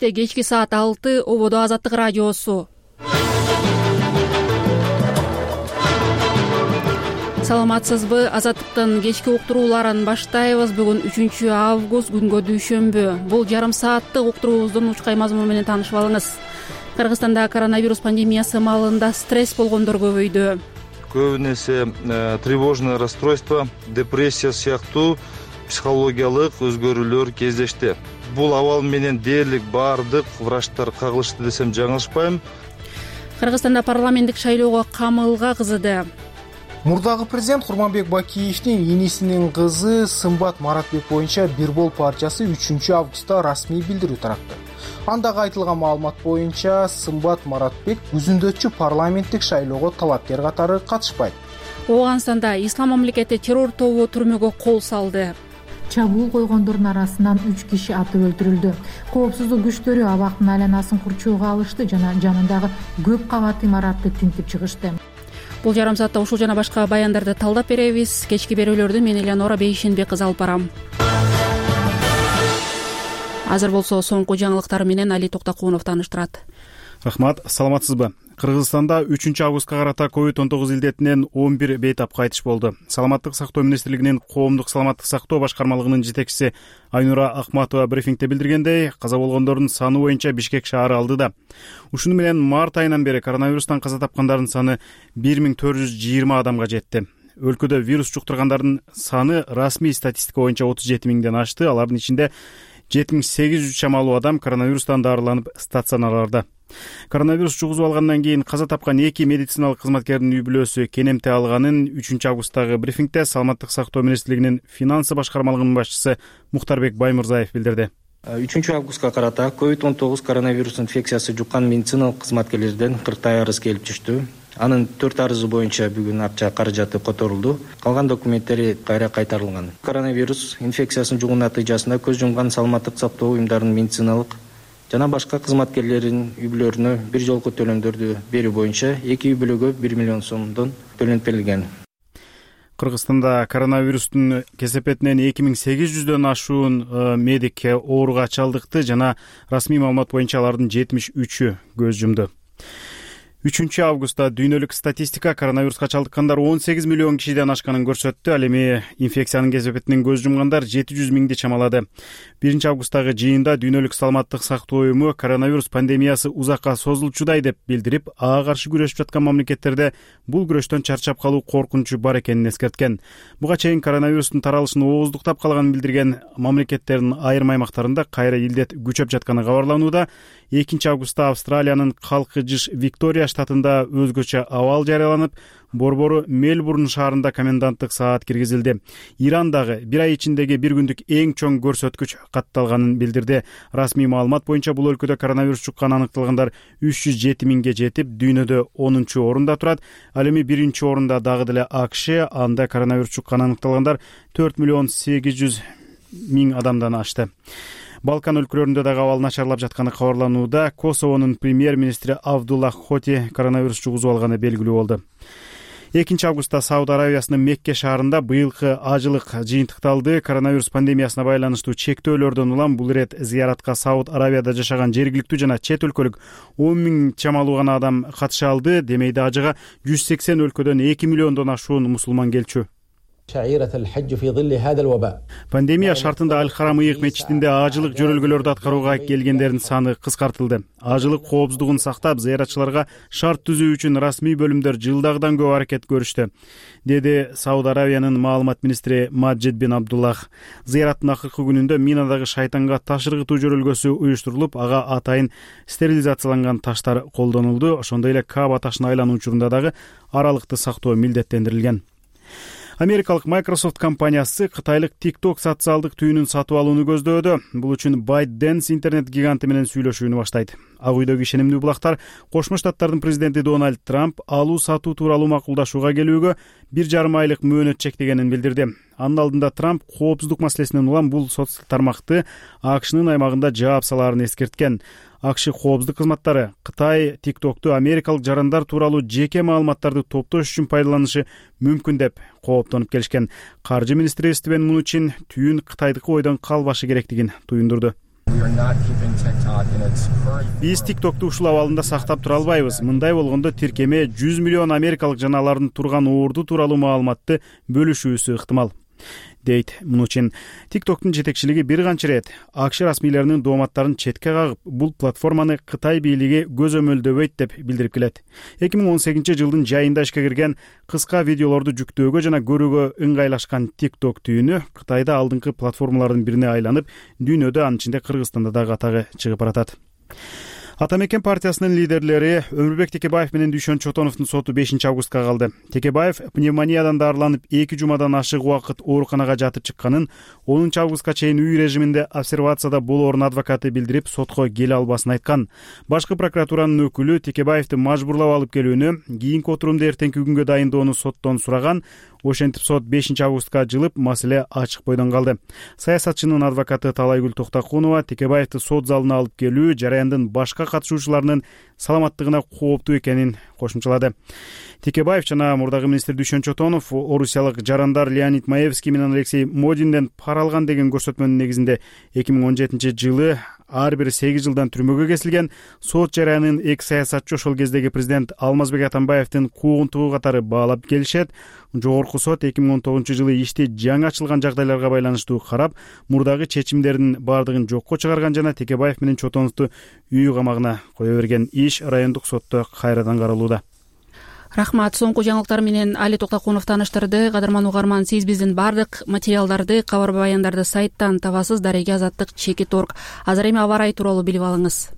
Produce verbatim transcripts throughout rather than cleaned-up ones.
Албетте кечки саат алты ободо Азаттык радиосу. Саламатсызбы? Азаттыктын кечки уктурууларын баштайбыз. Бүгүн үчүнчү август, күнгө дүйшөмбү. Бул жарым сааттык уктуруубуздун учкай мазмуну менен таанышып алыңыз. Кыргызстанда коронавирус пандемиясы маалында стресс болгондор көбөйдү. Көбүнесе э, тревожное расстройство, депрессия сыяктуу психологиялык өзгөрүүлөр кездешти. Бул абал менен дээрлик баардык врачтар кагылышты десем жаңылышпайм. Кыргызстанда парламенттик шайлоого камылга кызыды. Мурдагы президент Курманбек Бакиевдин инисинин кызы Сымбат Маратбек боюнча Бир Бол партиясы үчүнчү августта расмий билдирүү таратты. Андагы айтылган маалымат боюнча Сымбат Маратбек күзүндөчү парламенттик шайлоого талапкер катары катышпайт. Ооганстанда ислам мамлекети террор тобу түрмөгө кол салды. Чабуул койгондордун арасынан үч киши атып өлтүрүлдү. Коопсуздук күчтөрү абактын айланасын курчоого алышты жана жанындагы көп кабат имаратты тинтип чыгышты. Бул жарым саатта ушул жана башка баяндарды талдап беребиз. Кечки берүүлөрдү мен Элеонора Бейшенбек кызы алып барам. Азыр болсо соңку жаңылыктар менен Али Токтокунов тааныштырат. Рахмат, саламатсызбы? Кыргызстанда үчүнчү августка карата ковид он тогуз илдетинен он бир бейтап кайтыш болду. Саламаттык сактоо министрлигинин коомдук саламаттык сактоо башкармалыгынын жетекчиси Айнура Акматова брифингде билдиргендей, каза болгондордун саны боюнча Бишкек шаары алдыда. Ушуну менен март айынан бери коронавирустан каза тапкандардын саны бир миң төрт жүз жыйырма адамга жетти. Өлкөдө вирус жуктургандардын саны расмий статистика боюнча отуз жети миңден ашты. Алардын ичинде жети миң сегиз жүз чамалуу адам коронавирустан дарыланып стационарларда. Коронавирус жугузуп алгандан кийин каза тапкан эки медициналык кызматкердин үй бүлөсү кенемте алганын үчүнчү августтагы брифингде Саламаттык сактоо министрлигинин финансы башкармалыгынын башчысы Мухтарбек Баймырзаев билдирди. үчүнчү августка карата ковид он тогуз коронавирус инфекциясы жуккан медициналык кызматкерлерден кырктай арыз келип түштү. Анын төрт арызы боюнча бүгүн акча каражаты которулду. Калган документтери кайра кайтарылган. Коронавирус инфекциясын жугуу натыйжасында көз жумган саламаттык сактоо уюмдарынын медициналык жана башка кызматкерлеринин үй бүлөлөрүнө бир жолку төлөмдөрдү берүү боюнча эки үй бүлөгө бир миллион сомдон төлөнүп берилген. Кыргызстанда коронавирустун кесепетинен эки миң сегиз жүздөн ашуун медик ооруга чалдыкты жана расмий маалымат боюнча алардын жетимиш үчү көз жумду. үчүнчү августта дүйнөлүк статистика коронавируска чалдыккандар он сегиз миллион кишиден ашканын көрсөттү. Ал эми инфекциянын кесепетинен көз жумгандар жети жүз миңди чамалады. биринчи августтагы жыйында дүйнөлүк саламаттык сактоо уюму коронавирус пандемиясы узакка созулчудай деп билдирип, ага каршы күрөшүп жаткан мамлекеттерде бул күрөштөн чарчап калуу коркунучу бар экенин эскерткен. Буга чейин коронавирустун таралышын ооздуктап калганын билдирген мамлекеттердин айрым аймактарында кайра илдет күчөп жатканы кабарланууда. экинчи августта Австралиянын калкы жыш Виктория штатында өзгөчө абал жарыяланып, борбору Мельбурн шаарында коменданттык саат киргизилди. Ирандагы бир ай ичиндеги бир күндүк эң чоң көрсөткүч катталганын билдирди. Расмий маалымат боюнча бул өлкөдө коронавирус жукканы аныкталгандар үч жүз жети миңге жетип, дүйнөдө онунчу орунда турат. Ал эми биринчи орунда дагы деле АКШ, анда коронавирус жукканы аныкталгандар төрт миллион сегиз жүз миң адамдан ашты. Балкан өлкөлөрүндө дагы абал начарлап жатканы кабарланууда. Косовонун премьер-министри Абдуллах Хоти коронавирус жугузуп алганы белгилүү болду. экинчи августта Сауд Аравиясынын Мекке шаарында быйылкы ажылык жыйынтыкталды. Коронавирус пандемиясына байланыштуу чектөөлөрдөн улам бул ирет зыяратка Сауд Аравияда жашаган жергиликтүү жана чет өлкөлүк он миң чамалуу гана адам катыша алды. Демейде ажыга жүз сексен өлкөдөн эки миллиондон ашуун мусулман келчү. Пандемия шартында Аль-Харам ыйык мечитинде ажылык жөрөлгөлөрдү аткарууга келгендердин саны кыскартылды. Ажылык коопсуздугун сактап, зыяратчыларга шарт түзүү үчүн расмий бөлүмдөр жылдагыдан көп аракет көрүштү, деди Сауд Аравиянын маалымат министри Маджид бин Абдуллах. Зыяраттын акыркы күнүндө Минадагы шайтанга таш ыргытуу жөрөлгөсү уюштурулуп, ага атайын стерилизацияланган таштар колдонулду. Ошондой эле Кааба ташын айлануу учурунда дагы аралыкты сактоо милдеттендирилген. Америкалык Microsoft компаниясы кытайлык TikTok социалдык түйүнүн сатып алууну көздөөдө. Бул үчүн ByteDance интернет гиганты менен сүйлөшүүнү баштайт. Ак үйдөгү ишенимдүү булактар Кошмо Штаттардын президенти Дональд Трамп алуу сатуу тууралуу макулдашууга келүүгө бир жарым айлык мөөнөт чектегенин билдирди. Анын алдында Трамп коопсуздук маселесинен улам бул социалдык тармакты АКШнын аймагында жаап салаарын эскерткен. АКШ коопсуздук кызматтары Кытай TikTok'ту америкалык жарандар тууралуу жеке маалыматтарды топтош үчүн пайдаланышы мүмкүн деп кооптонуп келишкен. Каржы министри Стивен Мнучин түйүн Кытайдыкы ойдон калбашы керектигин туюндурду. Биз TikTok'ту ушул абалында сактап тура албайбыз. Мындай болгондо тиркеме жүз миллион америкалык жаналардын турган орду тууралуу маалыматты бөлүшүүсү ыктымал, дейт Мнучин. TikTok'тун жетекчилиги бир канча ирет АКШ расмийлеринин дооматтарын четке кагып, бул платформаны Кытай бийлиги көзөмөлдөбөйт деп билдирип келет. эки миң он сегизинчи жылдын жайында ишке кирген кыска видеолорду жүктөөгө жана көрүүгө ыңгайлашкан TikTok түйүнү Кытайда алдыңкы платформалардын бирине айланып, дүйнөдө, анын ичинде Кыргызстанда да катагы чыгып баратат. Ата мекен партиясынын лидерлери Өмүрбек Текебаев менен Дүйшөн Чотоновдун соту бешинчи августка калды. Текебаев пневмониядан даарыланып эки жумадан ашык убакыт ооруканага жатып чыкканын, онунчу августка чейин үй режиминде обсервацияда болоорун адвокаты билдирип, сотко келе албасын айткан. Башкы прокуратуранын өкүлү Текебаевди мажбурлап алып келүүнү, кийинки отурумду эртеңки күнгө дайындоону соттон сураган. Ошентип сот бешинчи августка жылып, маселе ачык бойдон калды. Саясатчынын адвокаты Талайгүл Токтокунова Текебаевди сот залына алып келүү жараяндын башка катышуучуларынын саламаттыгына кооптуу экенин кошумчалады. Текебаев жана мурдагы министр Дүйшөн Чотонов орусиялык жарандар Леонид Маевский менен Алексей Модинден пара алган деген көрсөтмөнүн негизинде эки миң он жетинчи жылы ар бири сегиз жылдан түрмөгө кесилген. Сот жараянын эки саясатчы ошол кездеги президент Алмазбек Атамбаевдин куугунтугу катары баалап келишет. Жогорку сот эки миң он тогузунчу жылы ишти жаңы ачылган жагдайларга байланыштуу карап, мурдагы чечимдердин баардыгын жокко чыгарган жана Текебаев менен Чотоновду үй камагына кое берген. Иш райондук сотто кайрадан каралууда. Рахмат. Соңку жаңылыктар менен Али Токтокунов тааныштырды. Кадырман угарман, сиз биздин бардык материалдарды, кабар баяндарды сайттан табасыз. Дареге азаттык чекит точка орг. Азыр эми аба ырайы тууралуу билип алыңыз.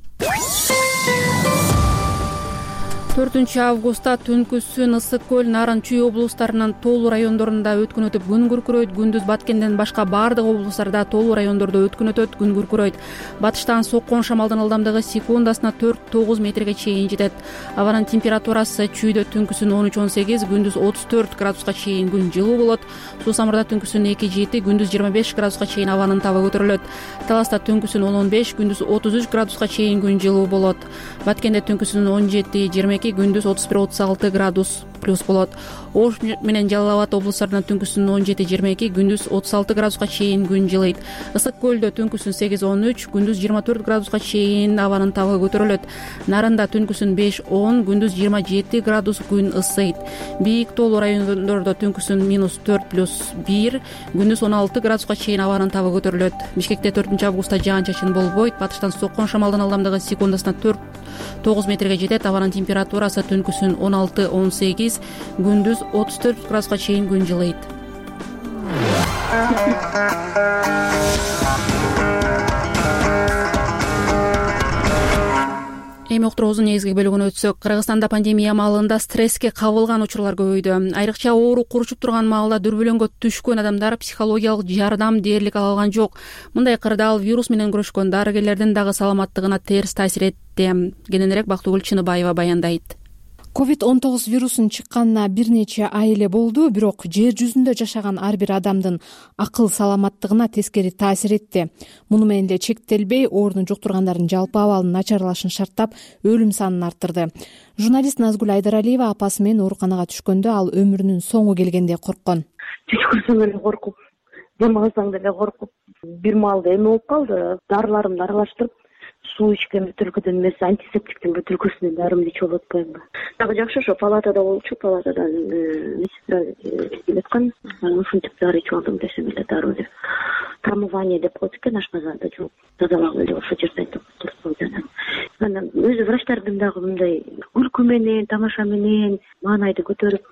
төртүнчү августта Түнкүсүн, Ысык көл, Нарын, Чүй облустарынын тоолуу райондорунда өткүн өтүп күн күркүрөйт. Күндүз Баткенден башка бардык облустарда тоолуу райондордо өткүн өтөт, күн күркүрөйт. Батыштан соккон шамалдын ылдамдыгы секундасына төрт тогуз метрге чейин жетет. Абанын температурасы Чүйдө түнкүсүн он үч он сегиз, күндүз отуз төрт градуска чейин күн жылуу болот. Суу Самырда түнкүсүн эки жети, күндүз жыйырма беш градуска чейин абанын табы көтөрүлөт. Таласта түнкүсүн он он беш, күндүз отуз үч градуска чейин күн жылуу болот. Баткенде түнкүсүн он жети жыйырма эки, күндүз отуз бир отуз алты градус плюс болот. Ош менен Жалал Абад облустарында түнкүсүн он жети жыйырма эки, күндүз отуз алты градуска чейин күн жылыйт. Ысык көлдө түнкүсүн сегиз он үч, күндүз жыйырма төрт градуска чейин абанын табы көтөрүлөт. Нарында түнкүсүн беш он, күндүз жыйырма жети градус күн ысыйт. Бийик тоолуу райондордо түнкүсүн минус төрт плюс бир, күндүз он алты градуска чейин абанын табы көтөрүлөт. Бишкекте төртүнчү августта жаан чачын болбойт. Батыштан соккон шамалдын ылдамдыгы секундасына төрт тогуз метрге жетет. Абанын температурасы түнкүсүн он алты он сегиз, күндүз отуз төрт градуска чейин күн жылыйт. Эми уктуруубуздун негизги бөлүгүнө өтсөк, Кыргызстанда пандемия маалында стресске кабылган учурлар көбөйдү. Айрыкча оору куручуп турган маалда дүрбөлөңгө түшкөн адамдар психологиялык жардам дээрлик ала алган жок. Мындай кырдаал вирус менен күрөшкөн дарыгерлердин дагы саламаттыгына терс таасир этти. Кененирээк Бактыгүл Чыныбаева баяндайт. ковид он тогуз вирусунун чыкканына бир нече ай эле болду, бирок жер жүзүндө жашаган ар бир адамдын акыл саламаттыгына тескери таасир этти. Муну менен эле чектелбей, ооруну жуктургандардын жалпы абалынын начарлашын шарттап, өлүм санын арттырды. Журналист Назгүл Айдаралиева апасы менен ооруканага түшкөндө ал өмүрүнүн соңу келгендей корккон. Түш көрсөң эле коркуп, дем алсаң деле коркуп, бир маалда эме болуп калды. Дарыларымды аралаштырып, суу ичкен бөтөлкөдөн эмес, антисептиктин бөтөлкөсүнөн дарымды ичип алып атпаймынбы. Дагы жакшы, ошо палатада болчу, палатадан медсестра келип аткан. Ушинтип дары ичип алдым десем эле дароо деп. Промывание деп коет экен ашказанда, жок, тазалагы эле ошо жерден турсун. Анан өзү врачтардын дагы мындай күлкү менен, тамаша менен маанайды көтөрүп,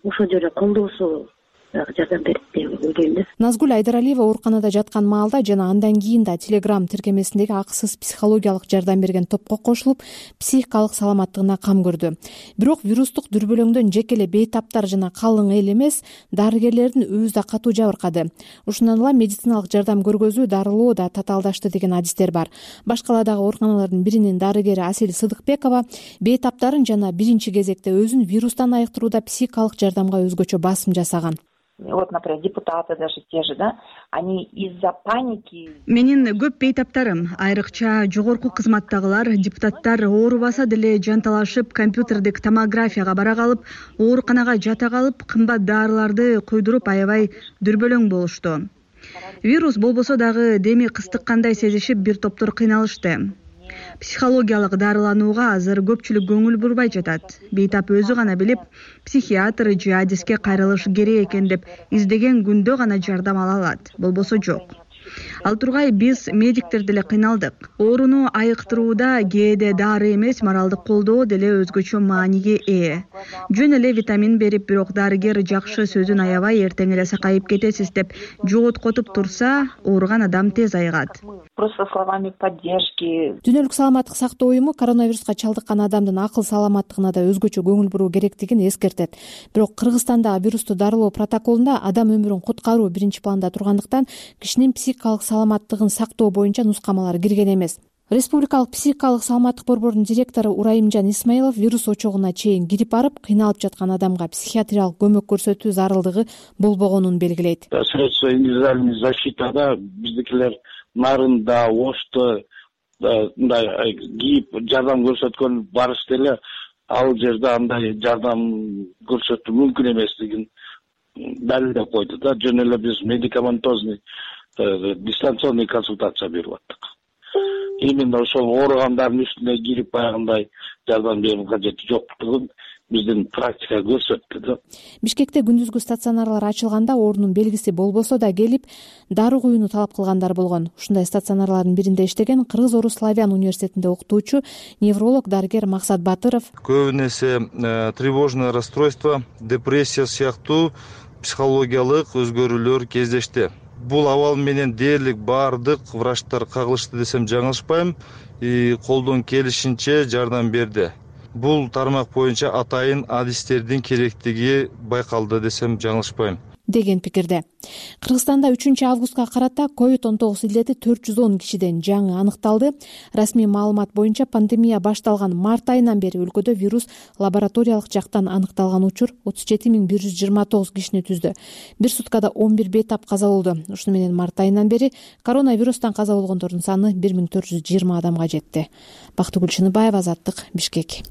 ошол жерде колдоосу жардам берди деп ойлойм. Назгүл Айдаралиева ооруканада жаткан маалда жана андан кийин да Telegram тиркемесиндеги акысыз психологиялык жардам берген топко кошулуп, психикалык саламаттыгына кам көрдү. Бирок вирустук дүрбөлөңдөн жеке эле бейтаптар жана калың эл эмес, дарыгерлердин өзү да катуу жабыркады. Ушундан улам медициналык жардам көргөзүү, дарылоо да татаалдашты деген адистер бар. Башкаладагы ооруканалардын биринин дарыгери Асил Сыдыкбекова бейтаптарын жана биринчи кезекте өзүн вирустан айыктырууда психикалык жардамга өзгөчө басым жасаган. Вот, например, депутаты даже те же, да, они из-за паники... Менин көп бейтаптарым, айрыкча жогорку кызматтагылар, депутаттар оорубаса деле жанталашып, компьютердик томографияга бара калып, ооруканага жата калып, кымбат дарыларды куйдуруп аябай дүрбөлөң болушту. вирус болбосо дагы деми кыстыккандай сезишип бир топтор кыйналышты. Психологиялык дарыланууга азыр көпчүлүк көңүл бурбай жатат. Бейтап өзү гана билип, психиатр же адиске кайрылыш керек экен деп издеген күндө гана жардам ала алат, болбосо жок. Ал тургай биз медиктер деле кыйналдык. Ооруну айыктырууда кээде дары эмес, моралдык колдоо деле өзгөчө мааниге ээ. Жөн эле витамин берип, бирок дарыгер жакшы сөзүн аябай эртең эле сакайып кетесиз деп жоготкотуп турса, ооруган адам тез айыгат. Просто словами поддержки. Дүйнөлүк саламаттык сактоо уюму коронавируска чалдыккан адамдын акыл саламаттыгына да өзгөчө көңүл буруу керектигин эскертет. Бирок Кыргызстандагы вирусту дарылоо протоколунда адам өмүрүн куткаруу биринчи планда тургандыктан кишинин психикалык саламаттыгын сактоо боюнча нускамалар кирген эмес. Республикалык психикалык саламаттык борборунун директору Урайымжан Исмаилов вирус очогуна чейин кирип барып, кыйналып жаткан адамга психиатриялык көмөк көрсөтүү зарылдыгы болбогонун белгилейт. Средства индивидуальной защиты биздикилер нарында, ошто мындай кийип жардам көрсөткөн барышты эле ал жерде андай жардам көрсөтүү мүмкүн эместигин далилдеп койду да. Жөн эле биз медикаментозный дистанционный консультация берип аттык. Именно ошол ооругандардын үстүнө кирип баягындай жардам берүү кажети жоктугун биздин практика көрсөттү да. Бишкекте күндүзгү стационарлар ачылганда оорунун белгиси болбосо да келип, дары куюуну талап кылгандар болгон. Ушундай стационарлардын биринде иштеген Кыргыз-Орус Славян университетинде окутуучу невролог дарыгер Максат Батыров көбүн эсе тревожное расстройство, депрессия сыяктуу психологиялык өзгөрүүлөр кездешти. Бул абал менен дээрлик баардык врачтар кагылышты десем жаңылышпайм, колдон келишинче жардам берди. Бул тармак боюнча атайын адистердин керектиги байкалды десем жаңылышпайм деген пикирде. Кыргызстанда үчүнчү августка карата ковид он тогуз илдети төрт жүз он кишиден жаңы аныкталды. Расмий маалымат боюнча пандемия башталган март айынан бери өлкөдө вирус лабораториялык жактан аныкталган учур отуз жети миң бир жүз жыйырма тогуз кишини түздү. Бир суткада он бир бейтап каза болду. Ушуну менен март айынан бери коронавирустан каза болгондордун саны бир миң төрт жүз жыйырма адамга жетти. Бактыгүл Чыныбаева, Азаттык, Бишкек.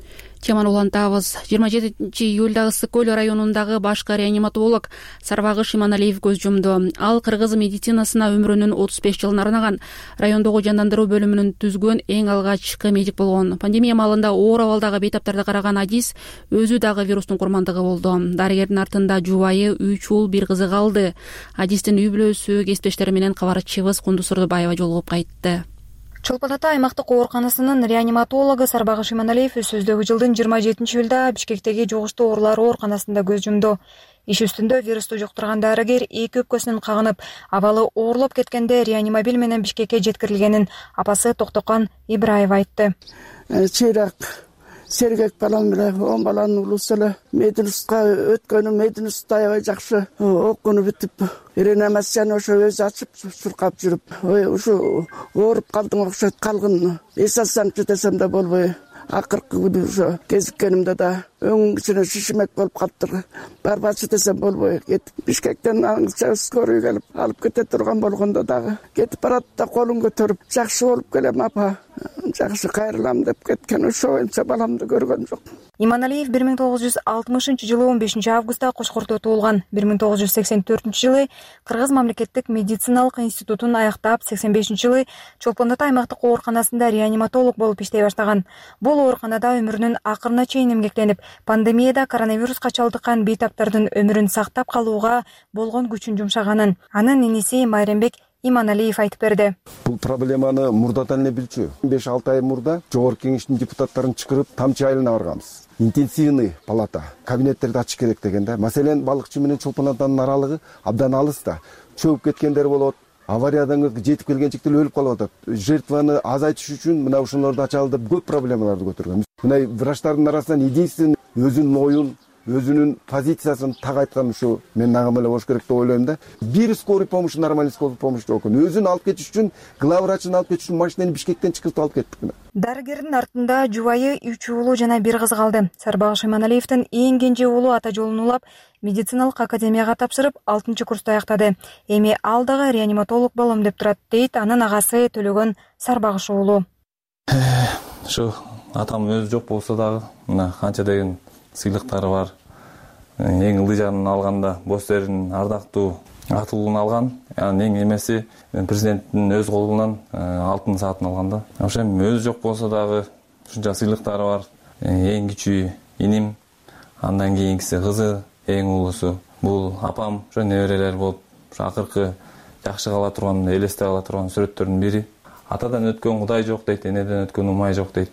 Теманы улантабыз. жыйырма жетинчи июлда Ысык көл районундагы башкы реаниматолог Сарбагыш Иманалиев көз жумду. Ал кыргыз медицинасына өмүрүнүн отуз беш жылын арнаган, райондогу жандандыруу бөлүмүнүн түзгөн эң алгачкы медик болгон. Пандемия маалында оор абалдагы бейтаптарды караган адис өзү дагы вирустун курмандыгы болду. Дарыгердин артында жубайы, үч уул, бир кызы калды. Адистин үй бүлөсү, кесиптештери менен кабарчыбыз Кундуз Турдубаева жолугуп кайтты. Чолпон Ата аймактык ооруканасынын реаниматологу Сарбагыш Иманалиев өсөздөгү жылдын жыйырма жетинчи июлда Бишкектеги жугуштуу оорулар ооруканасында көз жумду. Иш үстүндө вирусту жуктурган дарыгер эки өпкөсүнөн кагынып, абалы оорлоп кеткенде реанимобиль менен Бишкекке жеткирилгенин апасы Токтокон Ибраева айтты. Чыйрак сергек балам менен он баланын улусу эле мединститутка өткөнү, мединститутта аябай жакшы окууну бүтүп, реанимацияны ошо өзү ачып суркап жүрүп, ой ушу ооруп калдым окшойт, калгын эс алсаңчы десем да болбой, акыркы күнү ошо кезиккенимде да өң ичине шишимек болуп калыптыр. Барбачы десем болбой кетип, Бишкектен аңча скорый келип алып кете турган болгондо дагы кетип барат да колун көтөрүп, жакшы болуп келем апа, жакшы кайрылам деп кеткен. Ошо боюнча баламды көргөн жок. Иманалиев бир миң тогуз жүз алтымышынчы жылы он бешинчи августта Кошкордо туулган. бир миң тогуз жүз сексен төртүнчү жылы Кыргыз мамлекеттик медициналык институтун аяктап, сексен бешинчи жылы Чолпон Ата аймактык ооруканасында реаниматолог болуп иштей баштаган. Бул ооруканада өмүрүнүн акырына чейин эмгектенип, пандемияда коронавируска чалдыккан бейтаптардын өмүрүн сактап калууга болгон күчүн жумшаганын анын иниси Майрембек Иманалиев айтып берди. Бул проблеманы мурдадан эле билчү. беш алты ай мурда жогорку кеңештин депутаттарын чакырып Тамчы айылына барганбыз. Интенсивный палата, кабинеттерди ачыш керек деген да. Маселен, балыкчы менен Чолпон Атанын аралыгы абдан алыс да. Чөгүп кеткендер болот. Авариядан жетип келген чектер өлүп калып атат. Жертваны азайтыш үчүн мына ушуларды ачалы деп көп проблемаларды көтөргөн. Мына врачтардын арасынан единственный өзүнүн оюн, өзүнүн позициясын так айткан ушу мен ага эле болуш керек деп ойлойм да. Бир скорый помощь, нормальный скорый помощь жок экен. Өзүн алып кетиш үчүн, главврачын алып кетиш үчүн машинаны Бишкектен чыгыртып алып кеттик. Дарыгердин артында жубайы, үч уулу жана бир кызы калды. Сарбагыш Иманалиевдин эң кенже уулу ата жолун улап, медициналык академияга тапшырып, алтынчы курсту аяктады. Эми ал дагы реаниматолог болом деп турат, дейт анын агасы Төлөгөн Сарбагыш уулу. Ушу атам өзү жок болсо дагы, мына канча деген сыйлыктары бар. Эң ылдый жанын алганда бос эрин ардактуу атылуун алган. Анын эң эмеси президенттин өз колунан алтын саатын алган да. Ошо эми өзү жок болсо дагы ушунча сыйлыктары бар. Эң кичүү иним, андан кийинкиси кызы, эң улуусу бул апам. Ошо неберелер болуп, ошо акыркы жакшы кала турган, элестеп ала турган сүрөттөрдүн бири. Атадан өткөн Кудай жок дейт, энеден өткөн Умай жок дейт.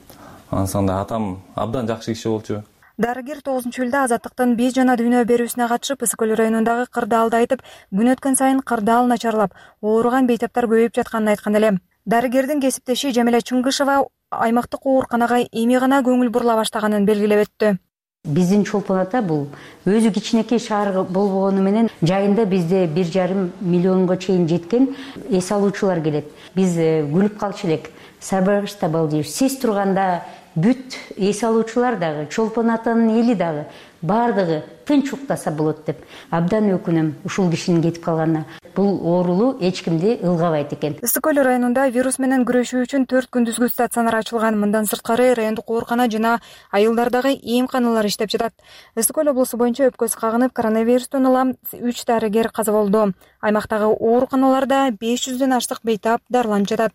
Ансанда атам абдан жакшы киши болчу. Дарыгер тогузунчу июлда Азаттыктын беш жана дүйнө берүүсүнө катышып, Ысык көл районундагы кырдаалды айтып, күн өткөн сайын кырдаал начарлап, ооруган бейтаптар көбөйүп жатканын айткан эле. Дарыгердин кесиптеши Жамиля Чыңгышева аймактык ооруканага эми гана көңүл бурула баштаганын белгилеп өттү. Биздин Чолпон ата бул өзү кичинекей шаар болбогону менен жайында бизде бир жарым миллионго чейин жеткен эс алуучулар келет. Биз күлүп калчу элек. Сарбайгычта балдыйбыз. Сиз турганда бүт эс алуучулар дагы, Чолпон атанын эли дагы бардыгы тынч уктаса болот деп абдан өкүнөм ушул кишинин кетип калганына. Бул оорулуу эч кимди ылгабайт экен. Ысык көл районунда вирус менен күрөшүү үчүн төрт күндүзгү стационар ачылган. Мындан сырткары райондук оорукана жана айылдардагы эмканалар иштеп жатат. Ысык көл облусу боюнча өпкөсү кагынып коронавирустан улам үч дарыгер каза болду. Аймактагы ооруканаларда беш жүздөн ашык бейтап дарыланып жатат.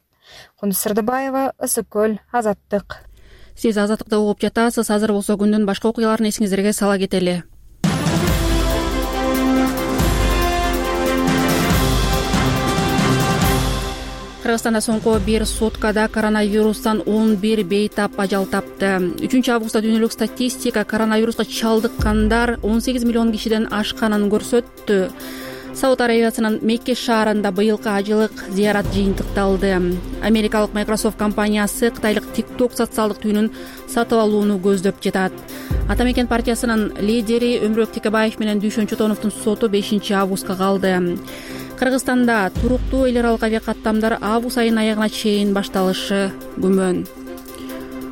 Кундуз Сырдыбаева, Ысык көл, Азаттык. Сиз Азаттыкта угуп жатасыз. Азыр болсо күндүн башка окуяларын эсиңиздерге сала кетели. Кыргызстанда соңку бир суткада коронавирустан он бир бейтап ажал тапты. үчүнчү августта дүйнөлүк статистика коронавируска чалдыккандар он сегиз миллион кишиден ашканын көрсөттү. Сауд Арабиясынын Мекке шаарында быйылкы ажылык зыярат жыйынтыкталды. Америкалык Microsoft компаниясы кытайлык TikTok социалдык түйүнүн сатып алууну көздөп жатат. Ата Мекен партиясынын лидери Өмүрбек Текебаев менен Дүйшөн Чотоновдун соту бешинчи августка калды. Кыргызстанда туруктуу эл аралык авиакаттамдар август айынын аягына чейин башталышы күмөн.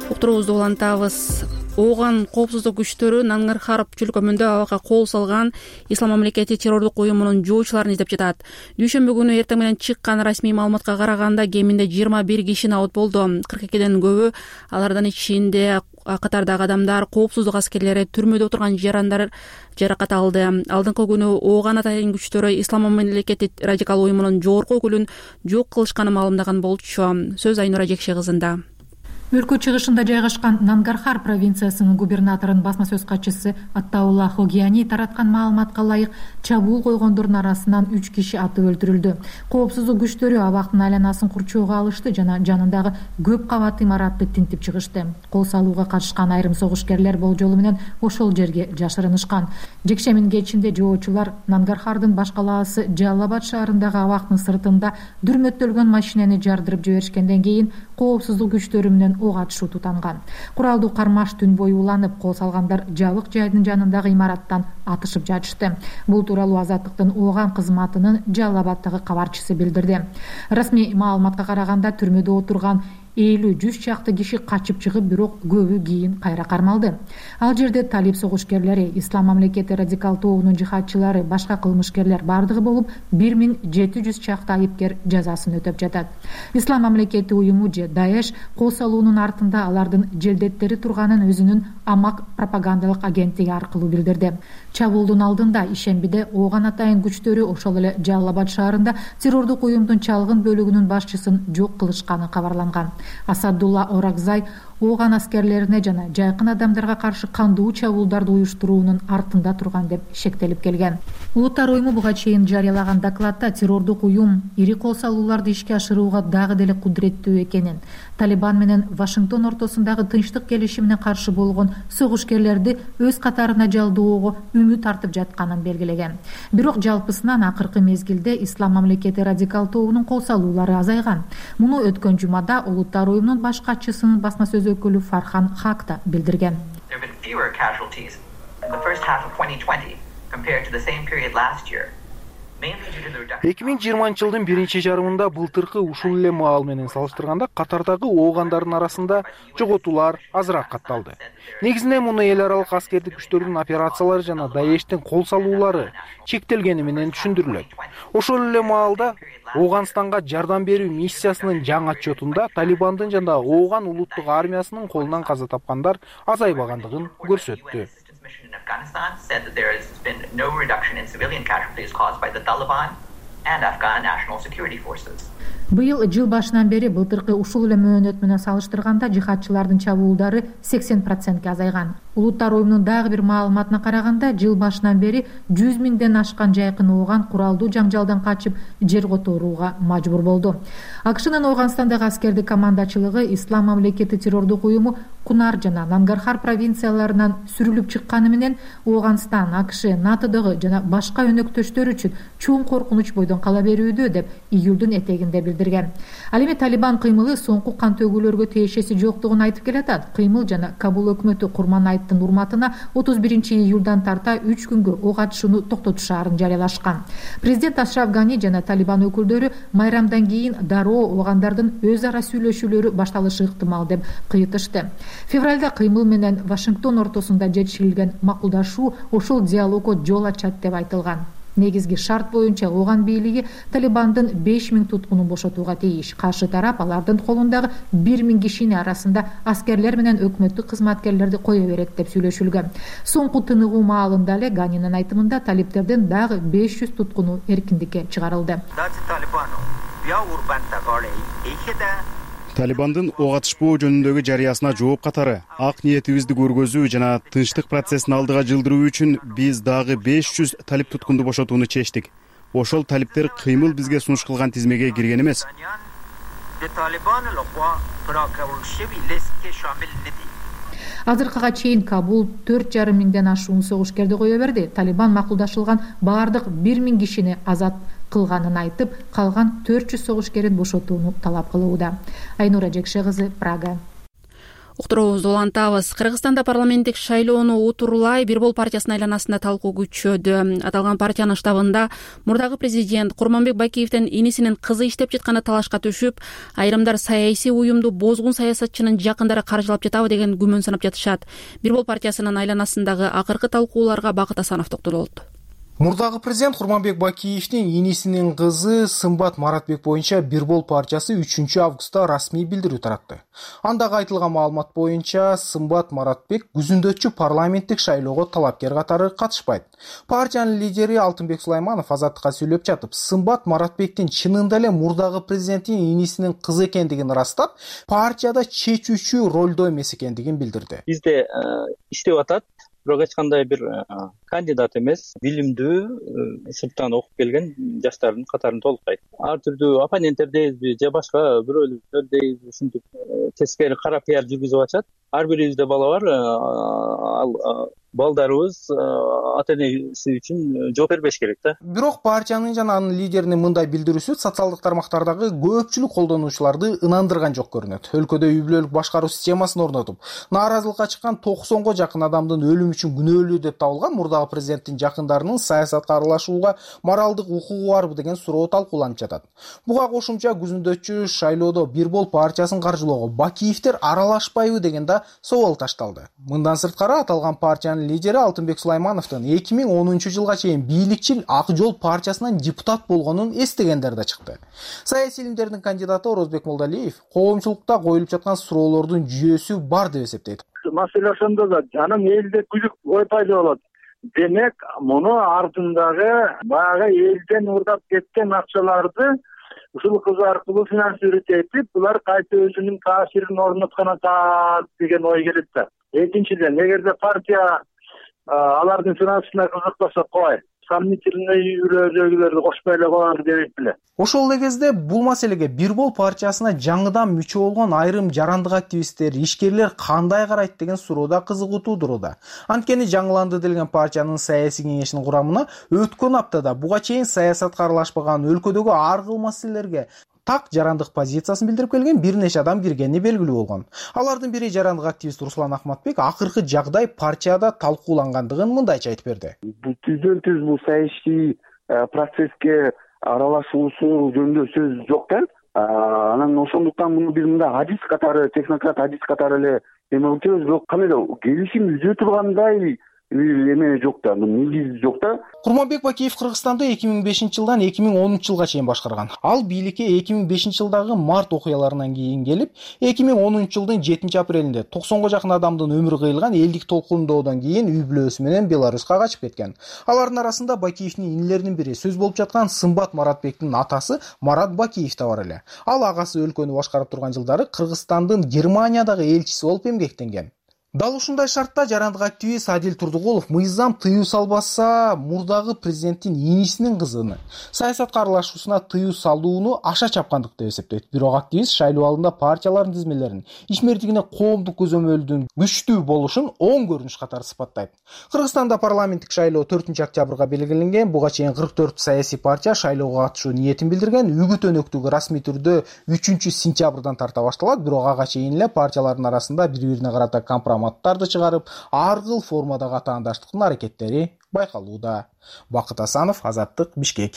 Уктуруубузду улантабыз. Ооган коопсуздук күчтөрү Нангар-Хар чөлкөмүндө абакка кол салган Ислам мамлекети террордук уюмунун жоочуларын издеп жатат. Дүйшөмбү күнү эртең менен чыккан расмий маалыматка караганда кеминде жыйырма бир киши набыт болду. кырк экиден көбү, алардын ичинде катардагы адамдар, коопсуздук аскерлери, түрмөдө отурган жарандар жаракат алды. Алдыңкы күнү Ооган атайын күчтөрү Ислам мамлекети радикал уюмунун жогорку өкүлүн жок кылышканын маалымдаган болчу. Сөз Айнура Жекше кызында. Өлкө чыгышында жайгашкан Нангар-Хар провинциясынын губернаторунун басма сөз катчысы Аттаулла Хогияни тараткан маалыматка ылайык чабуул койгондордун арасынан үч киши атып өлтүрүлдү. Коопсуздук күчтөрү абактын айланасын курчоого алышты жана жанындагы көп кабатты имаратты тинтип чыгышты. Кол салууга катышкан айрым согушкерлер болжолу менен ошол жерге жашырынышкан. Жекшемин кечинде жоочулар Нангар-Хардын баш калаасы Жалал-Абад шаарындагы абактын сыртында дүрмөттөлгөн машинени жардырып жиберишкенден кийин коопсуздук күчтөрү менен ок атышуу тутанган. Куралдуу кармаш түн бою уланып, кол салгандар жабык жайдын жанындагы имараттан атышып жатышты. Бул тууралуу Азаттыктын Ооган кызматынын Жалал-Абаддагы кабарчысы билдирди. Расмий маалыматка караганда түрмөдө отурган элүү жүз чакты киши качып чыгып, бирок көбү кийин кайра кармалды. Ал жерде талип согушкерлери, Ислам мамлекети радикал тобунун жихадчылары, башка кылмышкерлер бардыгы болуп бир миң жети жүз чакты айыпкер жазасын өтөп жатат. Ислам мамлекети уюму же Даэш кол салуунун артында алардын желдеттери турганын өзүнүн амак пропагандалык агенттиги аркылуу билдирди. Чабуулдун алдында ишембиде Ооган атайын күчтөрү ошол эле Жалал-Абад шаарында террордук уюмдун чалгын бөлүгүнүн башчысын жок кылышканы кабарланган. Асадулла Оракзай Ооган аскерлерине жана жайкын адамдарга каршы кандуу чабуулдарды уюштуруунун артында турган деп шектелип келген. Улуттар уюму буга чейин жарыялаган докладда террордук уюм ири кол салууларды ишке ашырууга дагы деле кудуреттүү экенин, Талибан менен Вашингтон ортосундагы тынчтык келишимине каршы болгон согушкерлерди өз катарына жалдоого үмүт артып жатканын белгилеген. Бирок жалпысынан акыркы мезгилде Ислам мамлекети радикал тобунун кол салуулары азайган. Муну өткөн жумада Улуттар уюмунун баш катчысынын басма сөз өкүлү Фархан Хак да билдирген. эки миң жыйырманчы жылдын биринчи жарымында былтыркы ушул эле маал менен салыштырганда катардагы оогандардын арасында жоготуулар азыраак катталды. Негизинен муну эл аралык аскердик күчтөрдүн операциялары жана Даэштин кол салуулары чектелгени менен түшүндүрүлөт. Ошол эле маалда Ооганстанга жардам берүү миссиясынын жаңы отчетунда Талибандын жана Ооган улуттук армиясынын колунан каза тапкандар азайбагандыгын көрсөттү. Afghanistan said that there has been no reduction in civilian casualties caused by the Taliban and Afghan National Security Forces. Быйыл жыл башынан бери былтыркы ушул эле мөөнөт менен салыштырганда жихадчылардын чабуулдары сексен процентке азайган. Улуттар уюмунун дагы бир маалыматына караганда, жыл башынан бери жүз миңден ашкан жайкын ооган куралдуу жаңжалдан качып жер которууга мажбур болду. АКШнын Ооганстандагы аскердик командачылыгы Ислам мамлекети террордук уюму Кунар жана Нангархар провинцияларынан сүрүлүп чыкканы менен Ооганстан, АКШ, НАТОдогу жана башка өнөктөштөр үчүн чоң коркунуч бойдон кала берүүдө деп июлдун этегинде билдирген. Ал эми Талибан кыймылы соңку кан төгүүлөргө тиешеси жоктугун айтып келатат. Кыймыл жана Кабул өкмөтү Курманайттын урматына отуз биринчи июлдан тарта үч күнгө ок атышууну токтотушаарын жарыялашкан. Президент Ашраф Гани жана Талибан өкүлдөрү майрамдан кийин дароо оогандардын өз ара сүйлөшүүлөрү башталышы ыктымал деп кыйытышты. Февралда кыймыл менен Вашингтон ортосунда жетишилген макулдашуу ошол диалогго жол ачат деп айтылган. Негизги шарт боюнча ооган бийлиги Талибандын беш миң туткунун бошотууга тийиш. Каршы тарап алардын колундагы бир миң кишини арасында аскерлер менен өкмөттүк кызматкерлерди кое берет деп сүйлөшүлгөн. Соңку тыныгуу маалында эле Ганинин айтымында талиптердин дагы беш жүз туткуну эркиндикке чыгарылды. Талибандын ок атышпоо жөнүндөгү жарыясына жооп катары ак ниетибизди көргөзүү жана тынчтык процессин алдыга жылдыруу үчүн биз дагы беш жүз талип туткунду бошотууну чечтик. Ошол талиптер кыймыл бизге сунуш кылган тизмеге кирген эмес. Азыркыга чейин Кабул төрт жарым миңден ашуун согушкерди кое берди. Талибан макулдашылган баардык бир миң кишини азат кылганын айтып, калган төрт жүз согушкерин бошотууну талап кылууда. Айнура Жекше кызы, Прага. Уктуруубузду улантабыз. Кыргызстанда парламенттик шайлоону утурлай Бирбол партиясынын айланасында талкуу күчөдү. Аталган партиянын штабында мурдагы президент Курманбек Бакиевдин инисинин кызы иштеп жатканы талашка түшүп, айрымдар саясий уюмду бозгун саясатчынын жакындары каржылап жатабы деген күмөн санап жатышат. Бирбол партиясынын айланасындагы акыркы талкууларга Бакыт Асанов токтолот. Мурдагы президент Курманбек Бакиевдин инисинин кызы Сымбат Маратбек боюнча Бирбол партиясы үчүнчү августта расмий билдирүү таратты. Андагы айтылган маалымат боюнча Сымбат Маратбек күзүндөчү парламенттик шайлоого талапкер катары катышпайт. Партиянын лидери Алтынбек Сулайманов азаттыкка сүйлөп жатып, Сымбат Маратбектин чынында эле мурдагы президенттин инисинин кызы экендигин ырастап, партияда чечүүчү ролдо эмес экендигин билдирди. Бизде иштеп атат. Бирок эч кандай бир кандидат эмес, билимдүү, сырттан окуп келген жаштардын катарын толуктайт. Ар түрдүү оппоненттер дейбизби же башка бирөөлөр дейбизби, ушинтип тескери кара пиар жүргүзүп атышат. Ар бирибизде бала бар, ал балдарыбыз ата энеси үчүн жооп бербеш керек да. Бирок партиянын жана анын лидеринин мындай билдирүүсү социалдык тармактардагы көпчүлүк колдонуучуларды ынандырган жок көрүнөт. Өлкөдө үй бүлөлүк башкаруу системасын орнотуп, нааразылыкка чыккан токсонго жакын адамдын өлүмү үчүн күнөөлүү деп табылган мурдагы президенттин жакындарынын саясатка аралашууга моралдык укугу барбы деген суроо талкууланып жатат. Буга кошумча күзүндөчү шайлоодо Бирбол партиясын каржылоого Бакиевдер аралашпайбы деген да собол ташталды. Мындан сырткары аталган партиянын лидери Алтынбек Сулаймановдун эки миң онунчу жылга чейин бийликчил Ак Жол партиясынан депутат болгонун эстегендер да чыкты. Саясий илимдердин кандидаты Орозбек Молдалиев коомчулукта коюлуп жаткан суроолордун жүйөсү бар деп эсептейт. Маселе ошондо да анан элде күдүк ой пайда болот. Демек, муну артындагы баягы элден урдап кеткен акчаларды ушул кыз аркылуу финансировать этип, булар кайта өзүнүн таасирин орноткон атат деген ой келет да. Экинчиден, эгерде партия алардын финансына кызыкпаса кой, сомнительный үрөжөгүлөрдү кошпой эле коелу дебейт беле. Ошол эле кезде бул маселеге Бирбол партиясына жаңыдан мүчө болгон айрым жарандык активисттер, ишкерлер кандай карайт деген суроо да кызыгуу туудуруда. Анткени жаңыланды делген партиянын саясий кеңешинин курамына өткөн аптада буга чейин саясатка аралашпаган өлкөдөгү ар кыл маселелерге так жарандык позициясын билдирип келген бир нече адам киргени белгилүү болгон. Алардын бири жарандык активист Руслан Ахматбек акыркы жагдай партияда талкуулангандыгын мындайча айтып берди. Бул түздөн түз бул саясий процесске аралашуусу жөнүндө сөз жок да. Анан ошондуктан муну биз мындай адис катары, технократ адис катары эле эме кылчубуз, бирок кандай да келишим үзө тургандай эме жок да, негиз жок да. Курманбек Бакиев Кыргызстанды эки миң бешинчи жылдан эки миң онунчу жылга чейин башкарган. Ал бийликке эки миң бешинчи жылдагы март окуяларынан кийин келип, эки миң онунчу жылдын жетинчи апрелинде токсонго жакын адамдын өмүрү кыйылган элдик толкундоодон кийин үй бүлөсү менен Беларуска качып кеткен. Алардын арасында Бакиевдин инилеринин бири, сөз болуп жаткан Сымбат Маратбектин атасы Марат Бакиев да бар эле. Ал агасы өлкөнү башкарып турган жылдары Кыргызстандын Германиядагы элчиси болуп эмгектенген. Дал ушундай шартта жарандык активист Адил Турдугулов мыйзам тыюу салбаса мурдагы президенттин инисинин кызыны саясатка аралашуусуна тыюу салууну аша чапкандык деп эсептейт. Бирок активист шайлоо алдында партиялардын тизмелерин ишмердигине коомдук көзөмөлдүн күчтүү болушун оң көрүнүш катары сыпаттайт. Кыргызстанда парламенттик шайлоо төртүнчү октябрга белгиленген. Буга чейин кырк төрт саясий партия шайлоого катышуу ниетин билдирген. Үгүт өнөктүгү расмий түрдө үчүнчү сентябрдан тарта башталат. Бирок ага чейин эле партиялардын арасында бири-бирине карата компроматтарды чыгарып, ар кыл формадагы атаандаштыктын аракеттери байкалууда. Бакыт Асанов, Азаттык, Бишкек.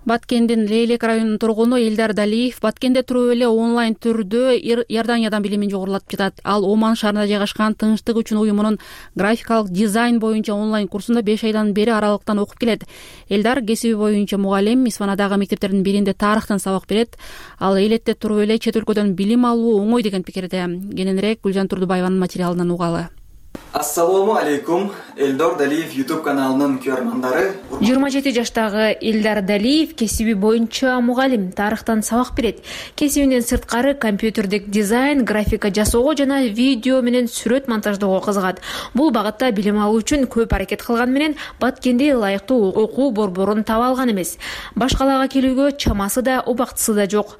Баткендин Лейлек районунун тургуну Элдар Далиев Баткенде туруп эле онлайн түрдө Иорданиядан билимин жогорулатып жатат. Ал Оман шаарында жайгашкан Тынчтык үчүн уюмунун графикалык дизайн боюнча онлайн курсунда беш айдан бери аралыктан окуп келет. Элдар кесиби боюнча мугалим, Исфанадагы мектептердин биринде тарыхтан сабак берет. Ал элетте туруп эле чет өлкөдөн билим алуу оңой деген пикирде. Кененирээк Гүлжан Турдубаеванын материалынан угалы. Ассалому алейкум, Элдар Далиев YouTube каналынын көрөрмандары. жыйырма жети жаштагы Элдар Далиев кесиби боюнча мугалим, тарыхтан сабак берет. Кесибинен сырткары компьютердик дизайн, графика жасоого жана видео менен сүрөт монтаждоого кызыгат. Бул багытта билим алуу үчүн көп аракет кылган менен Баткенде ылайыктуу окуу борборун таба алган эмес. Башкалага келүүгө чамасы да, убактысы да жок.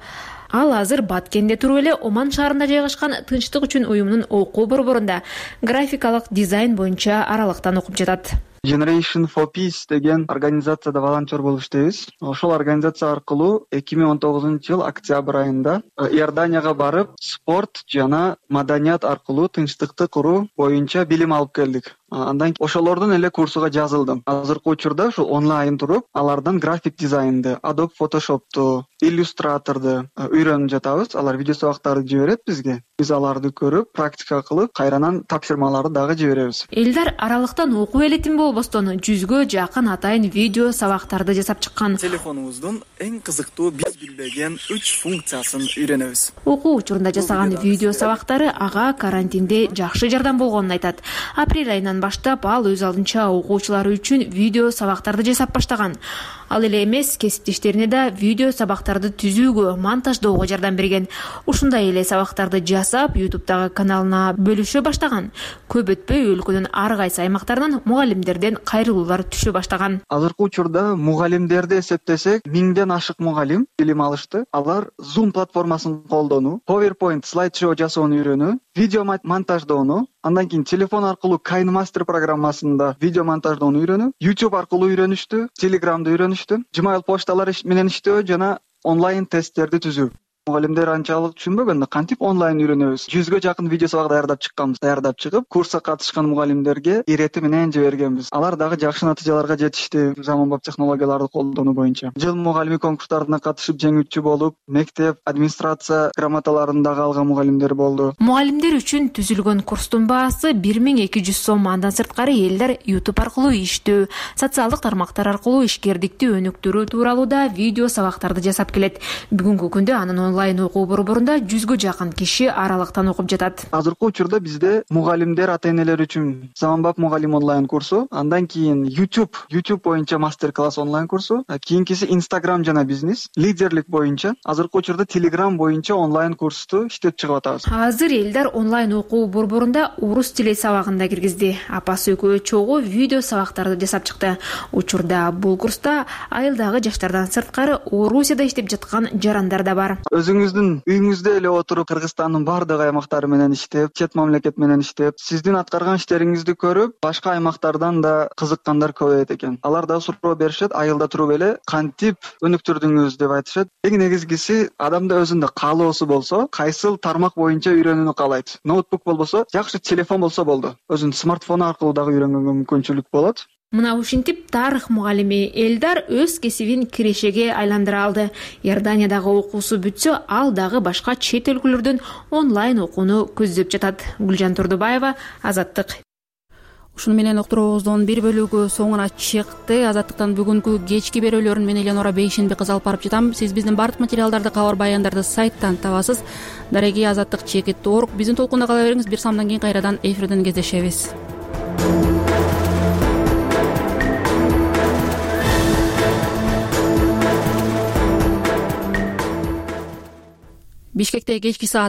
Ал азыр Баткенде туруп эле Оман шаарында жайгашкан Тынчтык үчүн уюмунун окуу борборунда графикалык дизайн боюнча аралыктан окуп жатат. Generation for Peace деген организацияда волонтер болуп иштейбиз. Ошол организация аркылуу эки миң он тогузунчу жыл октябрь айында Иорданияга барып, спорт жана маданият аркылуу тынчтыкты куруу боюнча билим алып келдик. Андан кийин ошолордун эле курсуга жазылдым. Азыркы учурда ушул онлайн туруп, алардан график дизайнды, Adobe Photoshop'ту, Illustrator'ду үйрөнүп жатабыз. Алар видео сабактарды жиберет бизге. Биз аларды көрүп, практика кылып, кайрадан тапшырмаларды дагы жиберебиз. Элдар аралыктан окуу элетин болбостон жүзгө жакын атайын видео сабактарды жасап чыккан. Телефонубуздун эң кызыктуу биз билбеген үч функциясын үйрөнөбүз. Окуу учурунда жасаган видео сабактары ага карантинде жакшы жардам болгонун айтат. Апрель айынан баштап ал өз алдынча окуучулары үчүн видео сабактарды жасап баштаган. Ал эле эмес, кесиптештерине да видео сабактарды түзүүгө, монтаждоого жардам берген. Ушундай эле сабактарды жасап, YouTube'дагы каналына бөлүшө баштаган. Көп өтпөй өлкөнүн ар кайсы аймактарынан мугалимдерден кайрылуулар түшө баштаган. Азыркы учурда мугалимдерди эсептесек, миңден ашык мугалим билим алышты. Алар Zoom платформасын колдонуу, PowerPoint слайд-шоу жасоону үйрөнүү, видео монтаждоону, андан кийин телефон аркылуу KineMaster программасында видео монтаждоону үйрөнүү, YouTube аркылуу үйрөнүштү, Telegram'да үйрөнүштү, Gmail почталар менен иштөө жана онлайн тесттерди түзүү. Мугалимдер анчалык түшүнбөгөн, кантип онлайн үйрөнөбүз. Жүзгө жакын видео сабак даярдап чыкканбыз. Даярдап чыгып, курска катышкан мугалимдерге ирети менен жибергенбиз. Алар дагы жакшы натыйжаларга жетишти, заманбап технологияларды колдонуу боюнча. Жыл мугалими конкурстарына катышып жеңүүчү болуп, мектеп администрация грамоталарын дагы алган мугалимдер болду. Мугалимдер үчүн түзүлгөн курстун баасы бир миң эки жүз сом. Андан сырткары Элдар YouTube аркылуу иштөө, социалдык тармактар аркылуу ишкердикти өнүктүрүү тууралуу да видео сабактарды жасап келет. Бүгүнкү күндө анын онлайн окуу борборунда жүзгө жакын киши аралыктан окуп жатат. Азыркы учурда бизде мугалимдер, ата-энелер үчүн заманбап мугалим онлайн курсу, андан кийин YouTube, YouTube боюнча мастер-класс онлайн курсу, кийинкиси Instagram жана бизнес, лидерлик боюнча, азыркы учурда Telegram боюнча онлайн курсту иштеп чыгып атабыз. Азыр Элдар онлайн окуу борборунда орус тили сабагын да киргизди. Апасы экөө чогуу видео сабактарды жасап чыкты. Учурда бул курста айылдагы жаштардан сырткары Орусияда иштеп жаткан жарандар да бар. Өзүңүздүн үйүңүздө эле отуруп, Кыргызстандын баардык аймактары менен иштеп, чет мамлекет менен иштеп, сиздин аткарган иштериңизди көрүп, башка аймактардан да кызыккандар көбөйөт экен. Алар да суроо беришет, айылда туруп эле кантип өнүктүрдүңүз деп айтышат. Эң негизгиси адамда өзүндө каалоосу болсо, кайсыл тармак боюнча үйрөнүүнү каалайт. Ноутбук болбосо, жакшы телефон болсо болду. Өзүнүн смартфону аркылуу дагы үйрөнгөнгө мүмкүнчүлүк болот. Мына ушинтип тарых мугалими Элдар өз кесибин кирешеге айландыра алды. Иорданиядагы окуусу бүтсө, ал дагы башка чет өлкөлөрдөн онлайн окууну көздөп жатат. Гүлжан Турдубаева, Азаттык. Ушуну менен уктуруубуздун бир бөлүгү соңуна чыкты. Азаттыктан бүгүнкү кечки берүүлөрүн мен Эленора Бейшенби кыз алып барып жатам. Сиз биздин бардык материалдарды, кабар баяндарды сайттан табасыз. Дареги азаттык чекит точка орг. Биздин толкунда кала бериңиз. Бир самдан кийин кайрадан эфирден кездешебиз. Бишкекте кечки саат